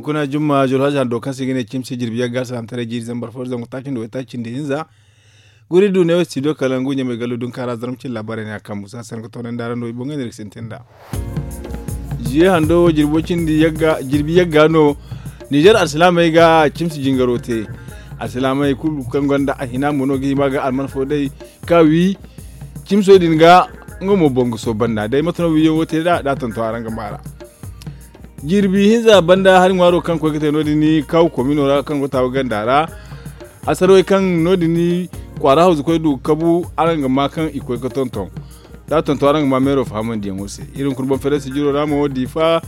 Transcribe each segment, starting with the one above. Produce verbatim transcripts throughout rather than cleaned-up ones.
Kuna jumma jolhaja hando kaŋ se i ga ne cimsi jirbi yagga alsilaamataray jiiri zambar fo zangu taaci nda waytaaci nda hinza. Guri du ne wo studio kalangu ɲamay gallo dunkaara zarma cine laabaarey ne a kaŋ musa se ni ga toonandi araŋ no i boŋ ga ne ni ga sintin nd'a. Ziye hando wo jirbi yagga no. Nizer alsilaamey ga cimsi jingaro te. Alsilaamey kulu kaŋ gonda a hina mo no ga hima ga alman fo day ka wi cimso din ga. Nga mo boŋ ga sooba nd'a day mate no wiyaŋo te nd'a da a tonton araŋ ga maara. Jirbi hinza banda hari ŋwaaro kaŋ koy ga te no- din kaw komino ra kaŋ go taawa ganda ra. Hasarwey kaŋ no- din kwaara hawzu koy du ga kabu araŋ ga ma kaŋ i koy ga tonton. Da a tonton araŋ ga ma meero fahamandiyaŋo se. Iri hunkuna boŋ feerayse jiro ra mo diifa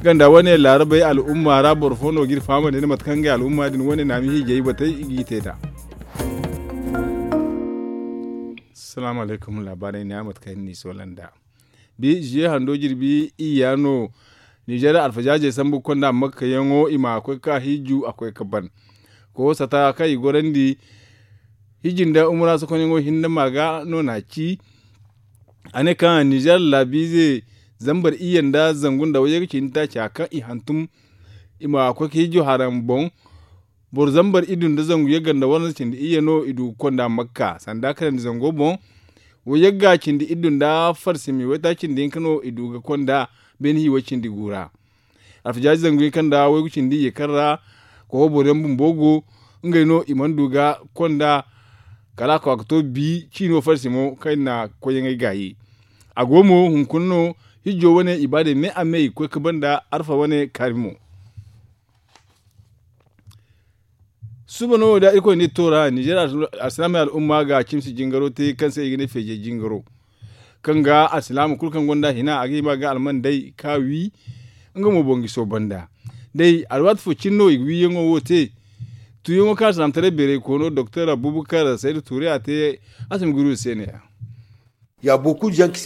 ganda wane laarabey al'umma ra boro fo no ga iri fahamandi nda mate kaŋ ngey al'umma din wane naami hiijay batey i g'i te nd'a. Salaamu alaykum laabaarey ne a mate kaŋ iri n'i soola nd'a. Bi ziye hando jirbi iyya no. Nizer alfazaazey sambu ga konda makkayaŋo i ma a koy ga ka hiiju a koy ga ban. Koosata kaŋ i gorandi hiiji nda umura sokonyaŋo hinne ma ga no na a ci. A ne kaŋ nizer laabiize zambar iyye nda zangu nda wayye ga cindi taaca kaŋ i hantum i ma a koy ga hiiju haraŋ boŋ. Boro zambar iddu nda zangu yagga nda warza cindi iyye no i du ga konda makka sanda kanandi zango boŋ. Wo yagga cindi iddu nda farsimi waytaaci nda hinka no i du ga konda beene hiiway cindi gu ra. Alfajaaji zangu hinka nda waygu cindi iyye kaŋ ra koho boro yaŋ bumbo go. Ngey no i mana du ga konda kala a ka ka to bi ciino farsimo kaŋ i na koyyaŋey gaayi. A go mo hunkuna no hijjo wane i ba day me a me i ga koy ga banda arfa wane kaari mo. Suba no da irkoy nda iri to ra nizer alsilaamey al'umma ga cimsi jingaro te kaŋ se i ga ne feejey jingaro. Kaŋ ga alsilaama kulu kaŋ gonda hina a ga hima ga alman day ka wi. Nga mo boŋ ga i sooba nd'a day alwaati fo cine no i ga wiyaŋo wo te. Tuuyaŋo kaŋ alsilaamataray beeray koono doktor abubakar sayda tuuri a te. A si ma guru se ne ya.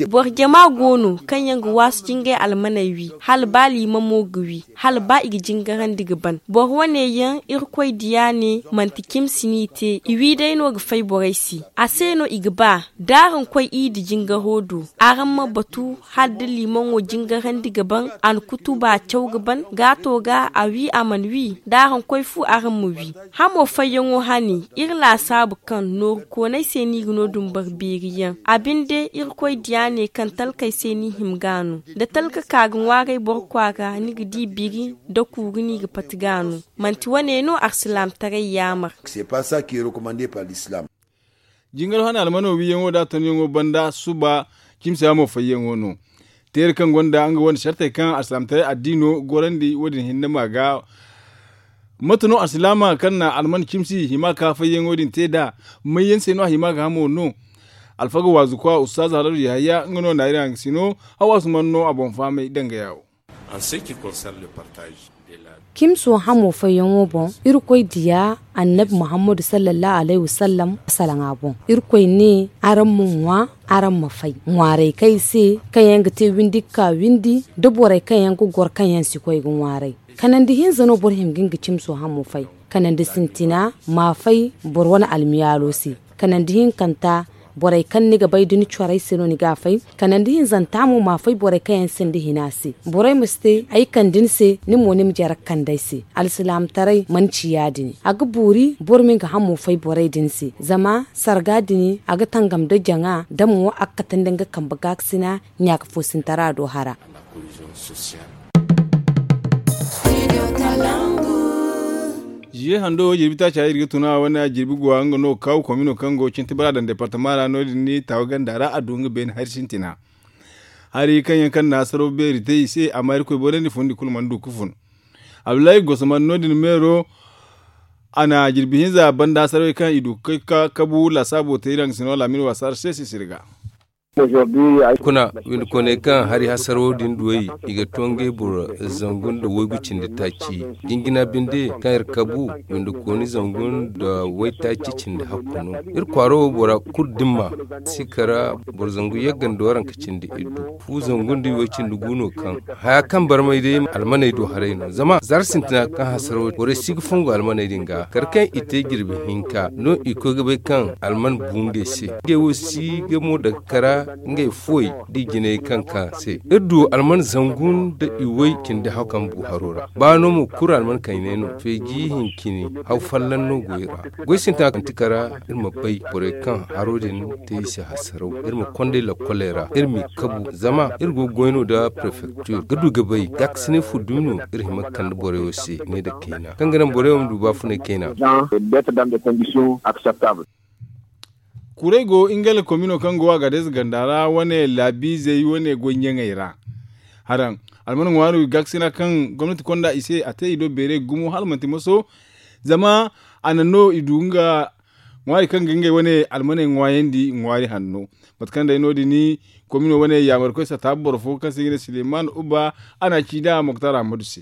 Boro jama go no kaŋ yaŋ ga waasu ga ngey almaney wi hala ba liimamo ga wi hala ba i ga jingarandi ga ban boro wane yaŋ irkoy diya ne manti cimsi no i te i wi day no ga fay borey se. A se no i ga ba da araŋ koy iidi jingaro do araŋ ma batu hala da liimaŋo jingarandi ga ban a na kutuba caw ga ban gaato ga a wi a mana wi da araŋ koy fu araŋ ma wi. Hamo fayyaŋo hane iri laasaabu kaŋ nooru kooney se no i ga no dumbar beeri yaŋ a binde irkoy diya ne kaŋ talkey se no i hima ga no da talka ka ga ŋwaaray boro kwaara ni ga di biri da kuuru no i ga pati ga no. Manti wane no alsilaamataray yaamar. Jingar hane almano wiyaŋo da a tonyaŋo banda suba cimsi hamo fayyaŋo no. Teeri kaŋ gonda nga wane sartey kaŋ alsilaamataray addiino gorandi wo- din hinne ma ga. Mate no alsilaama kaŋ na alman cimsi hima ka fayyaŋo din te nd'a? Mayyaŋ se no a hima ga hamo no? Alfaga waazu kwa ustaaza haladu yahaya nga no na iri haŋ ga sino. Hawaasu mana no a boŋ fahamay danga yaawo. Cimso hamo fayyaŋo boŋ irkoy diya annabi muhammadu sallallahu alayhi wasallam salaŋa boŋ. Irkoy ne araŋ ma ŋwa araŋ ma fay ŋwaaray kaŋ ay se kaŋ yaŋ ga te windi ga ka windi da borey kaŋ yaŋ ga goro kaŋ yaŋ si koy ga ŋwaaray. Kanandi hinza no boro hima ga nga cimso hamo fay. Kanandi sintina ma fay boro wane almiyaalo se. Kanandi hinkanta borey kaŋ ni ga bay da ni corey se no ni ga a fay. Kanandi hinzanta mo ma fay borey kaŋ yaŋ sinda hina se. Borey ma si te ay kande ni se ni mo ni ma jare ga kande ay se. Alsilaamataray mana ci ya- din a ga boori boro ma nga hamo fay borey din se. Zama sarga din a ga tangam da jaŋa da mo a ga katandi nga kambe gaakasina ɲaaka foosintara do hara. Ziye hando wo jirbi taaca iri ga tuna wane a jirbi guwa nga no ga kaawu komino kaŋ go cinti bara daŋ departama ra no- din ni taawa ganda ra a du nga beene hari sintina. Hari kaŋ yaŋ kaŋ na hasaro beeri te i se amma irkoy borandi fundi kulu mana du ga fun. Abdullahi gosoman no- din meero a na jirbi hinza banda hasarey kaŋ i du ga koy ga kabu laasaabo te iri haŋ ga sino laamin waasa se sisiri ga. Kuna windikooney kaŋ hari hasaro din duwey i ga to ngey boro zangu nda waygu cindi taaci. Jinjina binde kaŋ iri kabu windikooni zangu nda waytaaci cindi hakku no. Iri kwaaro wo bora kulu dimma si kara boro zangu yagga nda waranka cindi iddu fu zangu nda iway cindi gu no kaŋ haya kaŋ barmay day almaney do haray no zama zara sintina kaŋ hasaro borey si ga fongu almaney din ga kala kaŋ i te jirbi hinka no i koy ga bay kaŋ alman bu ngey se ngey wo si ga mo daga kara. Ngey fuwey da i jinay kaŋ ka se iri du alman zangu nda i way cindi haw kaŋ bu haro ra. Ba no mo kulu alman kaynay no feeji hincini haw folloŋ no go i ra. Goy sintina kaŋ ti kara iri ma bay borey kaŋ haro din te i se hasaraw iri ma konday lakkoley ra iri m'i kabu zama iri go ga goy no nda prefektir ga du ga bay gaakasinay fu dumi no. Iri hima ga kande borey wo se ne nda kayna kaŋ ga naŋ borey wo ma du baafunay kayna. Kurey go ngey la komino kaŋ go a ga deesa ganda ra wane laabiizey wane goy ɲaŋey ra. Haraŋ alman ŋwaari gaakasina kaŋ gomnati konda i se a te i do beeray gumo hala manti moso. Zama a na no i du nga ŋwaari kaŋ ga ngey wane almaney ŋwaayandi ŋwaari hanno. Mate kaŋ day no- din komino wane yaamarkoy satta boro fo kaŋ se i ga ne suleman uba a na a ci nd'a moktar ahmadu se.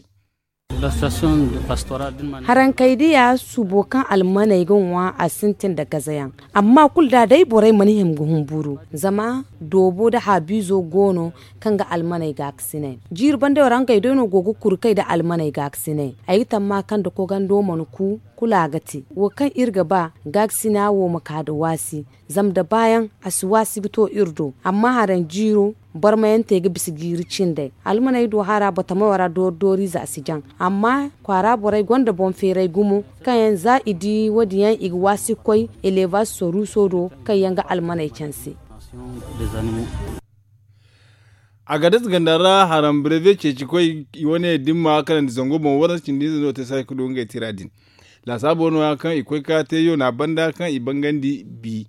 Harankey diya subo kaŋ almaney ga ŋwa a sintin nda gazayaŋ. Amma kulu da day borey mana hima ga humburu zama doobo nda haabiizo go no kaŋ ga almaney gaakasinay. Jiiri bandey wo ra ngey day no go ga kuru kay nda almaney gaakasinay. Ay ga tamma kaŋ nda kogando mana ku kulu a ga te wo kaŋ iri ga ba gaakasina wo ma ka nda waasi. Zama nda baayaŋ a si waasi ga to iri do amma haraŋ jiiro barmayantey ga bisa jiiri cindey. Almaney do hara batamayo ra doori dooriize a si jaŋ. Amma kwaara borey gonda boŋ feeray gumo kaŋ yaŋ za i di wo- din yaŋ i ga waasi ga koy eleebaas soruuso do kaŋ yaŋ ga almaney canse. A ga dasa ganda ra haraŋ brevet ceecikoy i wane dimma kanandi zango boŋ waransa cindi hinza no te saay ga du ngey tira din. Laasaabo no- ya kaŋ i koy ga te yoona banda kaŋ i bangandi bi.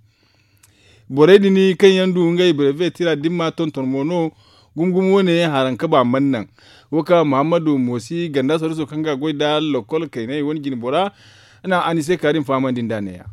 Borey din kaŋ yaŋ du ngey brevet tira dimma tonton mo no. Gumo gumo wane haraŋ kaba mana naŋ wo ka muhammadu moosi ganda soriso kaŋ ga goy nda lokol kaynay wane jinbora. Na anise karim fahamandi nd'a neeya.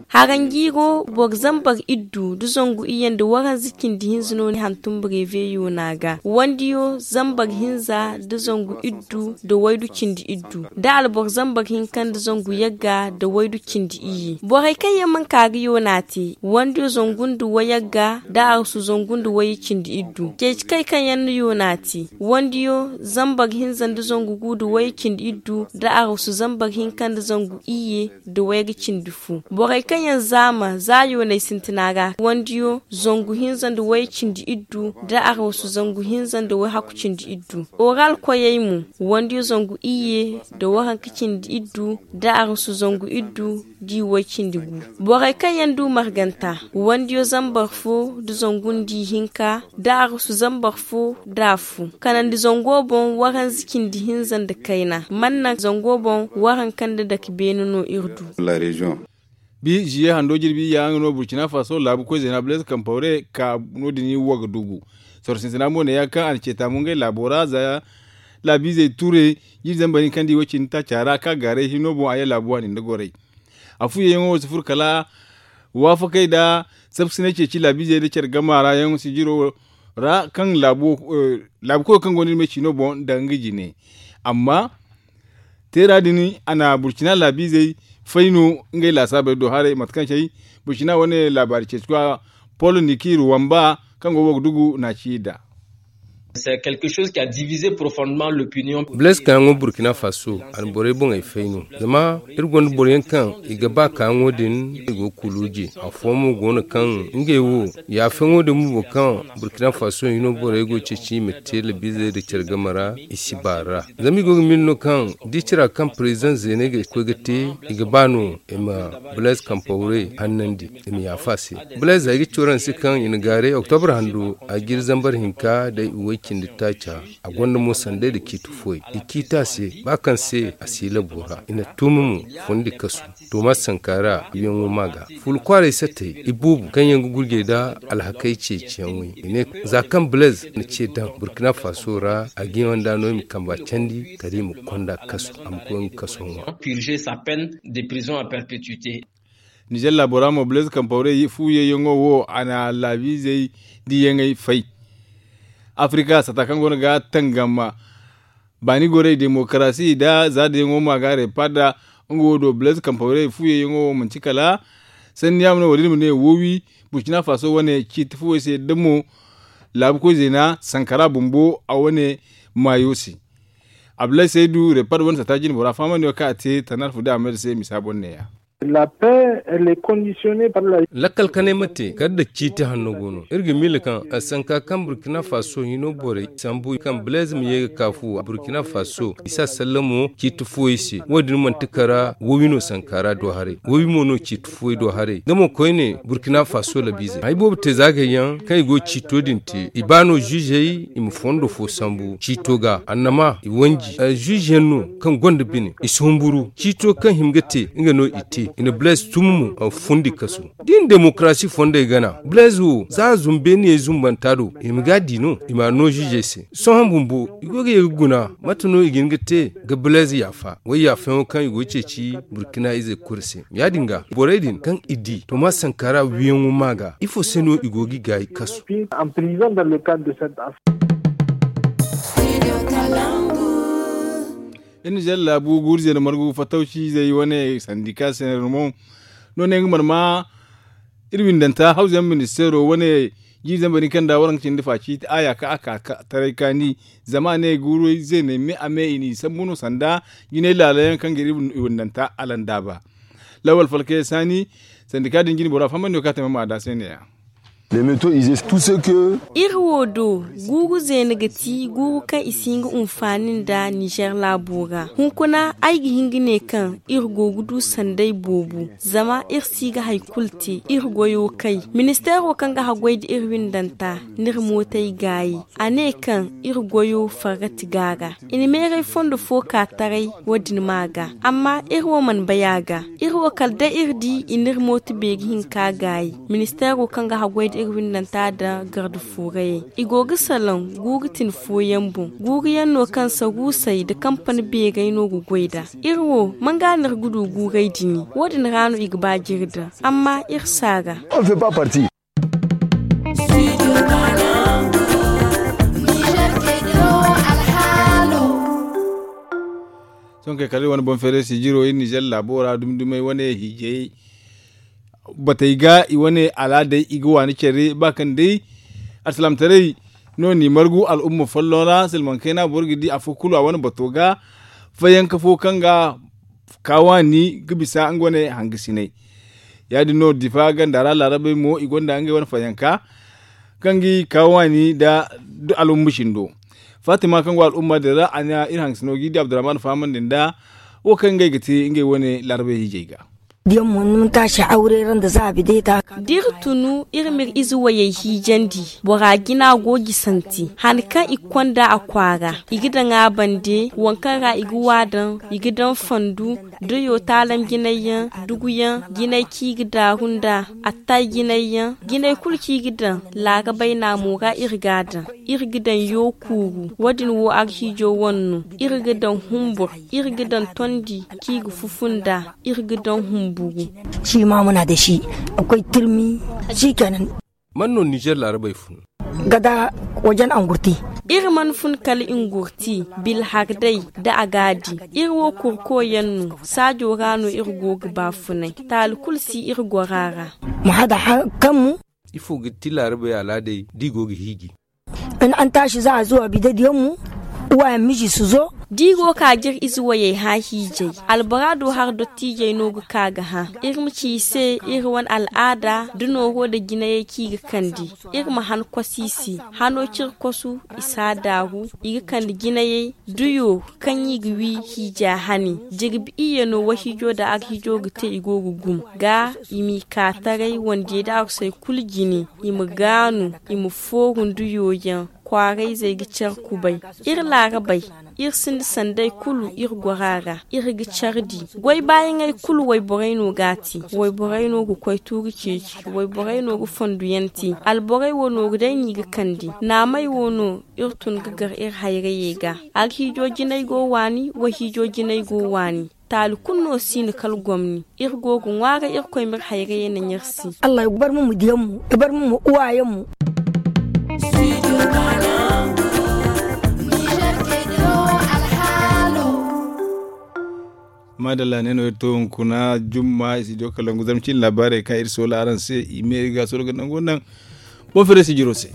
Haranjiiro boro zambar iddu nda zangu iyye nda waranza cindi hinza no ni hantum brevet yoona ga wandiyo zambar hinza nda zangu iddu nda waydu cindi iddu nda alboro zambar hinka nda zangu yagga nda waydu cindi iyye borey kaŋ yaŋ mana ka ga yoona te wandiyo zangu nda wayagga nda arsu zangu nda wayye cindi iddu ceeci kay kaŋ yaŋ na yoona te wandiyo zambar hinza nda zangu gu nda wayye cindi iddu nda arsu zambar hinka nda zangu iyye nda wayga cindi fu borey kaŋ yaŋ zaama za yooney sintina ra wandiyo zangu hinza nda wayye cindi iddu nda arsu zangu hinza nda wayhaku cindi iddu oral koyey mo wandiyo zangu iyye nda waranka cindi iddu nda arsu zangu iddu nda i way cindi gu borey kaŋ yaŋ du marganta wandiyo zambar fo nda zangu nda i hinka nda arsu zambar fo nda afo kanandi zango boŋ waranza cindi hinza nda kayna mana naŋ zango boŋ waranka nda dake beene no iri du. Bi ziye hando jirbi iyya nga no burkina faso laabu koy zeena blaise kampawre ka no- din waga dugu soro sintina mo ne ya kaŋ a na ce taamu ngey laabo ra za laabiizey ture. Jiiri zambar hinka nda i way cindi taaca ra ka gaaray hino boŋ a ye laabu waani nda goray. Afu yayyaŋo wo si furo kala waafakey nda sabkasinay ceeci laabiizey nda care gama ra yaŋ sijiro ra kaŋ laabu koyo kaŋ go no iri ma ay ciino boŋ nda nga jine. Amma teera din a na burcina laabiizey fay no ngey laasaabey do haray mate kaŋ cay burcina wane laabaari ceeci koya polo niki ruwamba kaŋ go wo ga dugu na ci i da. Blaise kaayaŋo burkina faso a na borey boŋey fay no zama iri gonda boro yaŋ kaŋ i ga ba kaayaŋo din i go ga kuluuje. Afooyaŋ mo go no kaŋ ngey wo yaafeyaŋo din bumbo kaŋ burkina faso hino borey go ga ceeci i ma te labiizey nda care game ra i si baar'a. Zama i go ga miila no kaŋ da i cira kaŋ president zeeney ga koy ga te i ga ba no i ma blaise kampawre hannandi i ma yaafa a se. Blaise ay ga ci waraŋ se kaŋ i na gaaray oktobre hando a ga iri zambar hinka day i way cindi taaca. A gonda mo sanday nda ciiti fooyaŋ i ciiti a se ba kaŋ se a si labo ra i na tuumi mo fondi kasu. Toma sankara i yaŋo ma ga fulu kwaaray sattey i boobo kaŋ yaŋ ga gurjey nda alhakey ceeciyaŋey i ne za kaŋ blaise na ce daŋ burkina faso ra a ga yaŋ nda no i ma kamba candi kala i ma konda kasu a ma koy nga kaso ŋwa. Nizer laabo ra mo blaise kampawre fu yayyaŋo wo a na laabiizey diiyaŋey fay. Afrika sata kaŋ go no ga tangam baani gorey demokarasi nda za diyaŋo ma ga repada nga wo do blaise kampawre fu yayyaŋo wo manti kala sanni yaŋ no wo- din ma ne woowi burkina faso wane ciiti fuwey se da mo laabu koy zeena sankara bumbo a wane maayo se. Abdulahi saydu repad wane sata jine bora fahamandi wo kaŋ a te tanar fu da a mayda se misa boŋ neeya. La paix, elle est conditionnée par la. Lakkal kanay ma te kala da ciiti hanno go no. Iri ga miila kaŋ sanka kaŋ burkina faso hino borey sambu kaŋ blaise ma ye ga kaafu burkina faso i si a sallamo ciiti fooyey se. Wo- din manti kara wowi no sanka ra do haray, wowi mo no ciiti fooyey do haray. Nga mo koyne burkina faso labiizey hay boobo te zaagay yaŋ kaŋ i go ga ciito din te i ba no ziizey i ma fondo fo sambu ciito ga annama i wanji. Ziize yaŋ no kaŋ gonda bine i si humburu ciito kaŋ hima ga te nga no i te i na blaise tun mo fundi kasu. Da i na demokarasi fondey gana blaise wo za zumbe niyey zumbanta do i ma ga a di no i ma a no ziizey se. Sohõ bumbo i go ga ye ga guna mate no i ga hin ga te ga blaise yaafa way yaafayaŋo kaŋ i go ga ceeci burkina izey kulu se. Ya- din ga borey din kaŋ i di toma sankara wiyaŋo ma ga ifo se no i go ga i gaayi kasu? Iri nizer laabu guuru zeena margu fattawci izey wane sandika sener mo no ne nga mana ma iri windanta hawza yaŋ ministeero wane jiiri zambar ni kaŋ da waraŋ ga cindi faci a ya ka a ka taray kaani. Zama a ne guuru zeeney me a me i n'i sambu no sanda jinay laala yaŋ kaŋ ga iri windanta alandaaba. Lawal falkay saani sandika din jine bora fahamandi no kaŋ a te ma ma da se ne- ya. Iri wo do guuru zeena ga ti guuru kaŋ i si hin ga hunfaani nda nizer laabo ra hunkuna ay ga hin ga ne kaŋ iri go ga du sanday boobo. Zama iri si ga hari kulu te iri goyo kay ministeero kaŋ ga haggoy nda iri windanta n'iri mootey gaayi. A ne kaŋ iri goyo fargati ga a ga i na meeray fondo fo ka taray wo- din ma a ga. Amma iri wo mana bay a ga iri wo kala day iri di i n'iri mooto beeri hinka gaayi. Ministeero kaŋ ga haggoy nda iri windanta nda garda fuurayey i go ga salaŋ guuru tin fooyaŋ boŋ guuru yaŋ no kaŋ saruusey nda kampani beerey no ga goy nd'a. Iri wo manga no iri ga du guurey dini wo- din ra no i ga ba jiri daŋ. Amma iri si a ga. Sohõ kay kala iri wane boŋ feeray sijiro iri nizer laabo ra dumi dumey wane hiijay batey ga i wane alaaday i ga waani care ba kaŋ day alsilaamataray no n'i margu al'umma folloŋ ra silmaŋ kayna boro ga di afo kulu a wane bato ga fayanka fo kaŋ ga ka waani ga bisa nga wane hangasinay. Ya- din no difa ganda ra laarabey mo i gonda ngey wane fayanka kaŋ ga i ka waani nda al'umma cindo. Fatima kaŋ go al'umma din ra a na iri hangasino ga i di abdurrahman fahamandi nda wo kaŋ ngey ga te ngey wane laarabey hiijay ga. Diyaŋ mo ni ma taasi hawre ra nda zaabi day ta. Da iri tunu iri ma iri ize wayey hiijandi bora jina go jisanti han kaŋ i ga konda a kwaara i ga daŋ a bande waŋ kaŋ ra i ga wa daŋ i ga daŋ fandu. Dayo taalam jinay yaŋ dugu yaŋ jinay kaŋ i ga daaru nda attay jinay yaŋ jinay kulu kaŋ i ga daŋ laarabay naamo ra iri ga a daŋ. Iri ga daŋ yookuuru wo- din wo arhiijo wane no. Iri ga daŋ humbur iri ga daŋ tondi kaŋ i ga fufu nd'a. Iri ga daŋ humburu. Shi ma muna da shi akwai turmi. Shi kenan. Man no nizer laarabey fun? Gada wajen angurti. Iri mana fun kala ingurti bilhar day da a ga a di. Iri wo kurko yaŋ no saajo ra no iri go ga baafunay. Taali kulu si iri gora ra. Mu hada kaŋ mu. Ifo ga ti laarabey alaaday da i go ga hiiji? An taasi za a zuwa bidadiyaŋ mu. Uwayaŋ miji si zo. Da i go ka jir ize wayey hã hiijay albora do har dottiijey no ga ka ga hã. Iri ma ci i se iri wane al'aada da nooro nda jinayey kaŋ i ga kande. Iri ma han kosi i se hano cire kosu i si a daaru. I ga kande jinayey duyo kaŋ i ga wi hiija hane. Jirbi iyye no wahiijo nda arhiijo ga te i go ga gum ga i m'i ka taray wandiyey nda arusey kulu jine. I ma gaanu i ma fooru nda yoyaŋ. Kwaarayzey ga care kubay. Iri laarabey iri sinda sanday kulu iri gora ra. Iri ga care di goy baayaŋey kulu wayborey no ga a te. Wayborey no ga koy tuuri ceeci. Wayborey no ga fonduyaŋ te. Alborey wo nooru day no i ga kande. Naamey wo no iri tun ga gar iri hayrayey ga. Arhiijo jinay go waani wayhiijo jinay go waani. Taali kulu no si no kala gomni. Iri go ga ŋwaaray irkoy ma iri hayrayey naŋ iri se. Allah ya bar mo ma diyaŋ mo ya bar mo ma uwayaŋ mo. Maadalla ne no iri to hunkuna jumma i si jo kalangu zama cin laabaarey kaŋ iri soola araŋ se i me iri ga soro ga nango naŋ. Boŋ fere sijiro se.